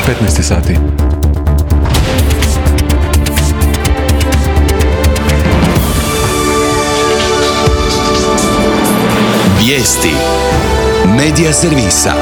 15 sati. Vijesti Medija servisa.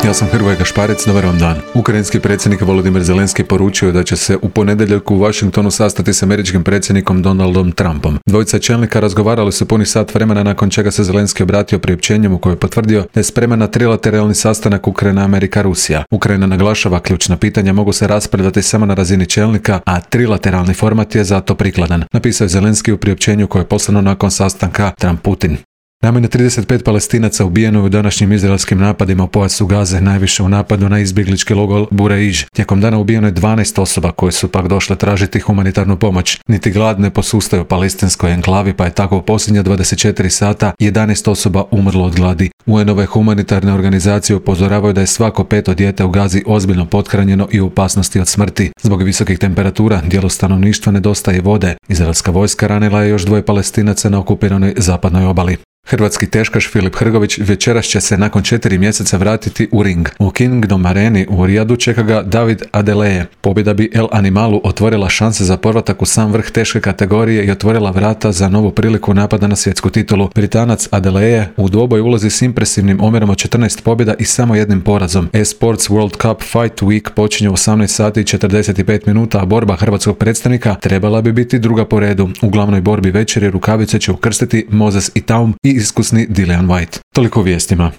Ja sam Hrvoje Gašparec, dobar vam dan. Ukrajinski predsjednik Volodymyr Zelenski poručio je da će se u ponedjeljak u Washingtonu sastati s američkim predsjednikom Donaldom Trumpom. Dvojica čelnika razgovarali su puni sat vremena, nakon čega se Zelenski obratio priopćenjem u kojem je potvrdio da je spreman na trilateralni sastanak Ukrajina, Amerika, Rusija. Ukrajina naglašava ključna pitanja mogu se raspravljati samo na razini čelnika, a trilateralni format je zato prikladan, napisao je Zelenski u priopćenju koje je poslano nakon sastanka Trump-Putin. Najmanje 35 Palestinaca ubijeno je u današnjim izraelskim napadima u pojasu Gaze, najviše u napadu na izbjeglički logor Bureiž. Tijekom dana ubijeno je 12 osoba koje su pak došle tražiti humanitarnu pomoć. Niti glad ne posustaje u palestinskoj enklavi, pa je tako u posljednja 24 sata 11 osoba umrlo od gladi. UN-ove humanitarne organizacije upozoravaju da je svako 5. dijete u Gazi ozbiljno pothranjeno i u opasnosti od smrti. Zbog visokih temperatura dijelu stanovništva nedostaje vode. Izraelska vojska ranila je još 2 Palestinaca na okupiranoj zapadnoj obali. Hrvatski teškaš Filip Hrgović večeras će se nakon 4 mjeseca vratiti u ring. U Kingdom Areni u Rijadu čeka ga David Adeleye. Pobjeda bi El Animalu otvorila šanse za povratak u sam vrh teške kategorije i otvorila vrata za novu priliku napada na svjetsku titulu. Britanac Adeleye u dvoboj ulazi s impresivnim omjerom od 14 pobjeda i samo jednim porazom. Esports World Cup Fight Week počinje u 18 sati i 45 minuta, a borba hrvatskog predstavnika trebala bi biti druga po redu. U glavnoj borbi večeri rukavice će ukrstiti Moses Itaum i iskusni Dillian Whyte. Toliko o vijestima.